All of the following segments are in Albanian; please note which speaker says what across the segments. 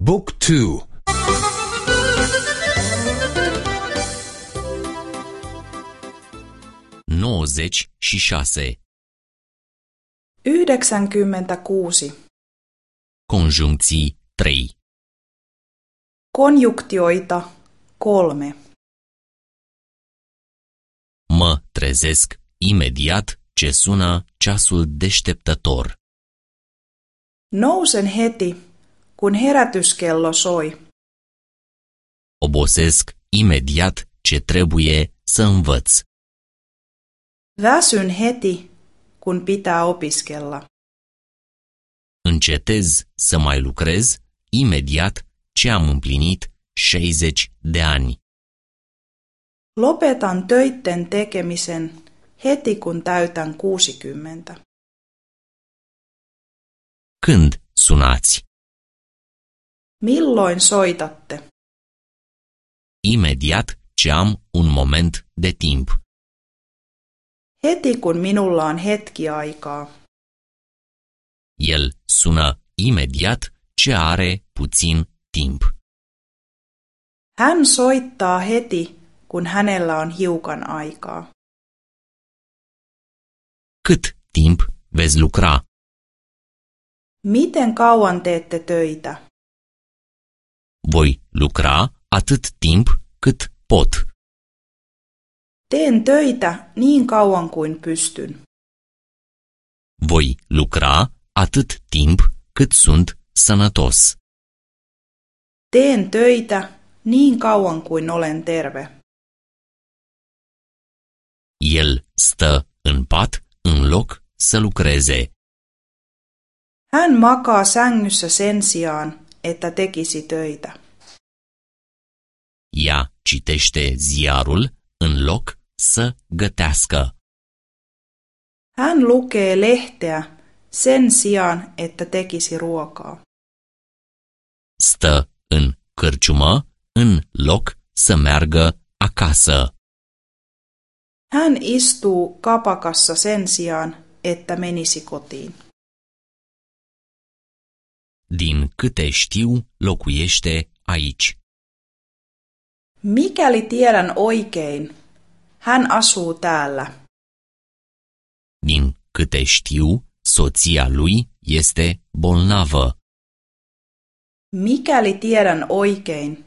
Speaker 1: Book 2
Speaker 2: 96.
Speaker 3: 96.
Speaker 2: Conjuncții 3.
Speaker 3: Konjunktioita 3.
Speaker 2: Mă trezesc imediat ce sună ceasul deșteptător.
Speaker 3: Nousen heti, kun herätyskello soi.
Speaker 2: Obosesc imediat ce trebuie să învăț.
Speaker 3: Väsyn heti, kun pitää opiskella.
Speaker 2: Încetez să mai lucrez imediat ce am împlinit 60 de ani.
Speaker 3: Lopetan töitten tekemisen heti kun täytän 60.
Speaker 2: Când sunați?
Speaker 3: Milloin soitatte?
Speaker 2: Imediat ce am un moment de timp.
Speaker 3: Heti kun minulla on hetki aikaa.
Speaker 2: El sună imediat ce are puțin timp.
Speaker 3: Hän soittaa heti, kun hänellä on hiukan aikaa.
Speaker 2: Cât timp veți lucra?
Speaker 3: Miten kauan teette töitä?
Speaker 2: Voi lucra atât timp cât pot.
Speaker 3: Teen töitä niin kauan kuin pystyn.
Speaker 2: Voi lucra atât timp cât sunt sănătos.
Speaker 3: Teen töitä niin kauan kuin olen terve.
Speaker 2: El stă în pat în loc să lucreze.
Speaker 3: Hän makaa sängyssä sen sijaan, että tekisi töitä.
Speaker 2: Ea citește ziarul în loc să gătească.
Speaker 3: Hän lukee lehteä sen sijaan, että tekisi ruokaa.
Speaker 2: Stă în cârciumă în loc să meargă acasă.
Speaker 3: Hän istuu kapakassa sen sijaan, että menisi kotiin.
Speaker 2: Din câte știu, locuiește aici.
Speaker 3: Mikäli tiedän oikein, hän asuu täällä.
Speaker 2: Din câte știu, soția lui este bolnavă.
Speaker 3: Mikäli tiedän oikein,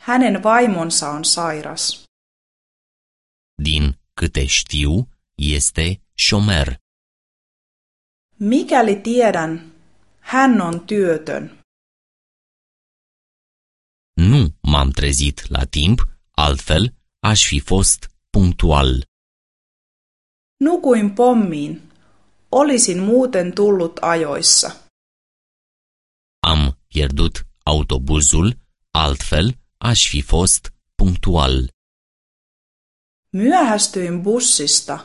Speaker 3: hänen vaimonsa on sairas.
Speaker 2: Din câte știu, este șomer.
Speaker 3: Mikäli tiedän, hän on työtön.
Speaker 2: Nu m-am trezit la timp, altfel aș fi fost punctual.
Speaker 3: Nukuin pommiin. Olisin muuten tullut ajoissa.
Speaker 2: Am pierdut autobuzul, altfel aș fi fost punctual.
Speaker 3: Myöhästyin bussista.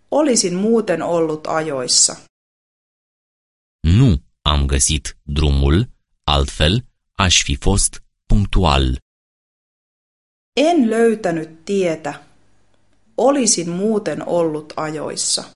Speaker 3: Olisin muuten ollut ajoissa.
Speaker 2: Nu am găsit drumul, altfel aș fi fost punctual.
Speaker 3: En löytänyt tietä. Olisin muuten ollut ajoissa.